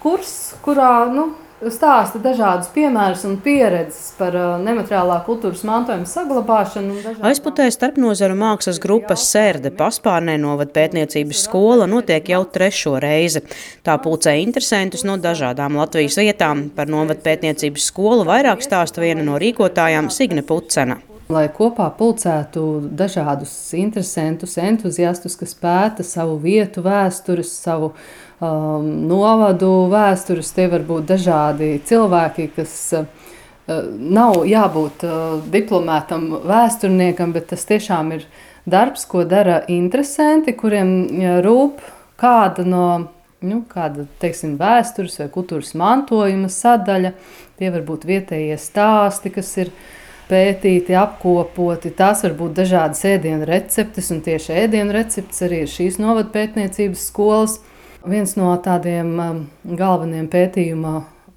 kurs, kurā stāsta dažādus piemērus un pieredzes par nemateriālā kultūras mantojuma saglabāšanu. Aizputē starpnozaru mākslas grupas Sērde Paspārnē novadpētniecības skola notiek jau 3. reizi. Tā pulcē interesentus no dažādām Latvijas vietām. Par novadpētniecības skolu vairāk stāsta viena no rīkotājām Signe Pucena. Lai kopā pulcētu dažādus interesantus, entuziastus, kas pēta savu vietu vēstures, savu novadu vēstures. Tie var būt dažādi cilvēki, kas nav jābūt diplomētam vēsturniekam, bet tas tiešām ir darbs, ko dara interesanti, kuriem rūp kāda no teiksim, vēstures vai kultūras mantojuma sadaļa. Tie var būt vietējie stāsti, kas ir pētīti, apkopoti. Tās var būt dažādas ēdienu receptes, un tieši ēdienu receptes arī ir šīs novadpētniecības skolas. Viens no tādiem galvenajiem pētījuma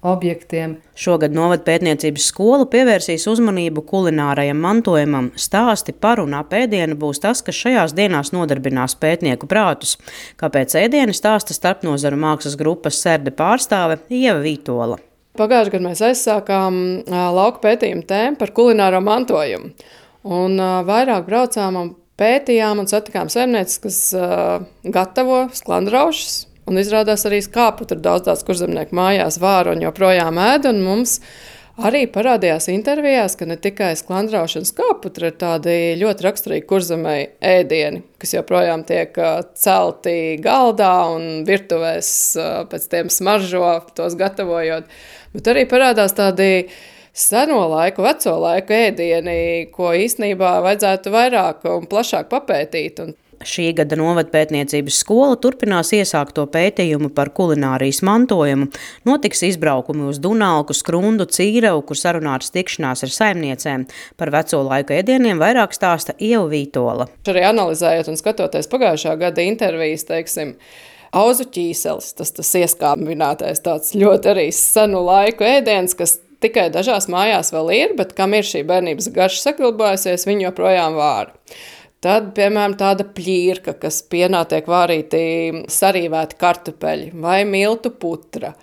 objektiem. Šogad novadpētniecības skola pievērsīs uzmanību kulinārajam mantojumam. Stāsti par un ap ēdienu būs tas, kas šajās dienās nodarbinās pētnieku prātus. Kāpēc ēdieni stāsta starpnozaru mākslas grupas Sērde pārstāve Ieva Vītola. Pagājušajā gadā mēs aizsākām lauku pētījumu tēmu par kulināro mantojumu. Un vairāk braucām un pētījām un satikām saimnieces, kas gatavo sklandraušas. Un izrādās arī skāputru daudz kurzemnieku mājās vāra un joprojām ēd. Un mums arī parādījās intervijās, ka ne tikai sklandrauši un skāputri ir tādi ļoti raksturīgi kurzemei ēdieni, kas joprojām tiek celti galdā un virtuvēs pēc tiem smaržo, tos gatavojot. Bet arī parādās tādi seno laiku, veco laiku ēdieni, ko īstenībā vajadzētu vairāk un plašāk papētīt. Šī gada novadpētniecības skola turpinās iesākto pētījumu par kulinārijas mantojumu. Notiks izbraukumi uz Dunalku, Skrundu, Cīrevu, kur sarunātas tikšanās ar saimniecēm. Par veco laiku ēdieniem vairāk stāsta Ieva Vītola. Arī analizējot un skatoties pagājušā gada intervijas, teiksim, auzu ķīselis, tas ieskābinātais tāds ļoti arī senu laiku ēdiens, kas tikai dažās mājās vēl ir, bet kam ir šī bērnības garša saglabājusies, viņi joprojām vāra. Tad, piemēram, tāda pļīrka, kas pienā tiek vārīti sarīvēti kartupeļi vai miltu putra.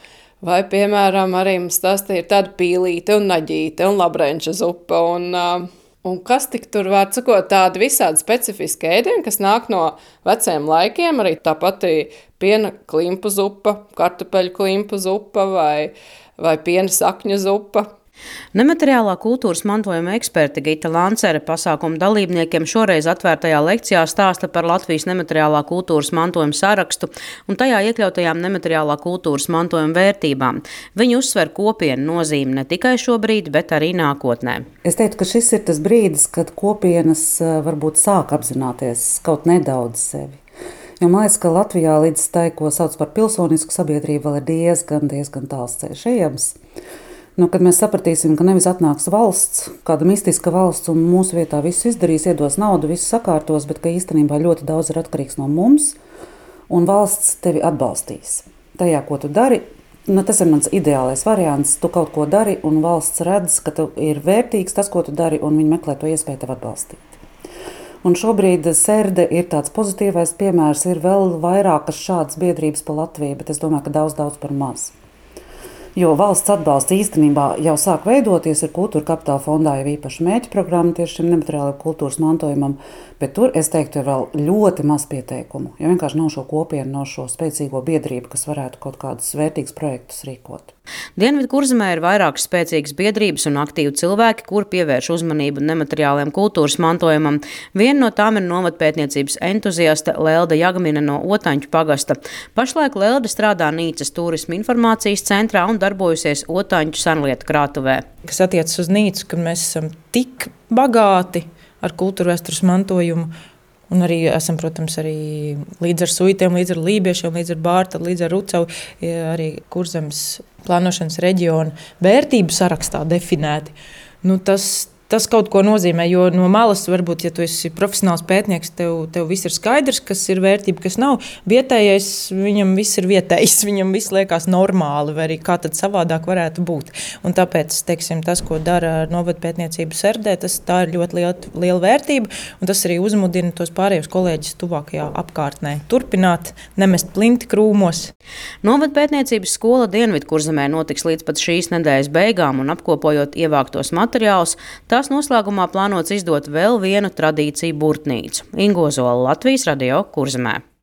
Vai, piemēram, arī mums stāstīja tāda pīlīte un naģīte un labrenča zupa. Un kas tik tur var sakot, tādi visādi specifiski ēdieni, kas nāk no veciem laikiem, arī tā pati piena klimpu zupa, kartupeļu klimpu zupa vai piena sakņu zupa. Nemateriālā kultūras mantojuma eksperte Gita Lancere pasākuma dalībniekiem šoreiz atvērtajā lekcijā stāsta par Latvijas nemateriālā kultūras mantojuma sarakstu un tajā iekļautajām nemateriālā kultūras mantojuma vērtībām. Viņi uzsver kopienu nozīmi ne tikai šobrīd, bet arī nākotnē. Es teiktu, ka šis ir tas brīdis, kad kopienas varbūt sāk apzināties kaut nedaudz sevi. Jo man liekas, ka Latvijā līdz tai, ko sauc par pilsonisku sabiedrību, vēl ir diezgan tāls ceļš ejams. Kad mēs sapratīsim, ka nevis atnāks valsts, kāda mistiska valsts un mūsu vietā visu izdarīs, iedos naudu, visu sakārtos, bet ka īstenībā ļoti daudz ir atkarīgs no mums, un valsts tevi atbalstīs. Tajā, ko tu dari, tas ir mans ideālais variants, tu kaut ko dari, un valsts redz, ka tu ir vērtīgs tas, ko tu dari, un viņi meklē to iespēju tev atbalstīt. Un šobrīd Sērde ir tāds pozitīvais piemērs, ir vēl vairākas šādas biedrības pa Latviju, bet es domāju, ka daudz par maz. Jo valsts atbalsts īstenībā jau sāk veidoties, ir Kultūra Kapitāla fondā jau īpaši mērķu programma tieši šim nemateriālajam kultūras mantojumam, bet tur, es teiktu, ir vēl ļoti maz pieteikumu, jo vienkārši nav šo kopienu, nav šo spēcīgo biedrību, kas varētu kaut kādus vērtīgus projektus rīkot. Dienvidkurzemē ir vairākas spēcīgas biedrības un aktīvi cilvēki, kuri pievērš uzmanību nemateriālajam kultūras mantojumam. Viena no tām ir novadpētniecības entuziaste Lelda Jagmine no Otaņu pagasta. Pašlaik Lelda strādā Nīcas turisma informācijas centrā un darbojusies Otaņu senlietu krātuvē. Kas attiecas uz Nīcu, kad mēs esam tik bagāti ar kultūra vēstures mantojumu, un arī esam, protams, arī līdz ar suitiem, līdz ar lībiešiem, līdz ar Bārta, līdz ar Rucavu, arī Kurzemes plānošanas reģiona vērtību sarakstā definēti. Tas tas kaut ko nozīmē, jo no malas varbūt, ja tu esi profesionāls pētnieks, tev viss ir skaidrs, kas ir vērtība, kas nav. Vietējais, viņam viss ir vietējs, viņam viss liekas normāli, vai arī kā tad savādāk varētu būt. Un tāpēc, teiksim, tas, ko dara novadpētniecību Serdē, tā ir ļoti liela vērtība, un tas arī uzmudina tos pārējos kolēģus tuvākajā apkārtnē turpināt, nemest plinti krūmos. Novadpētniecības skola Dienvidkurzemē notiks līdz pat šīs nedēļas beigām, un apkopojot ievāktos materiālus, tās noslēgumā plānots izdot vēl vienu tradīciju burtnīcu – Ingozola, Latvijas Radio Kurzemē.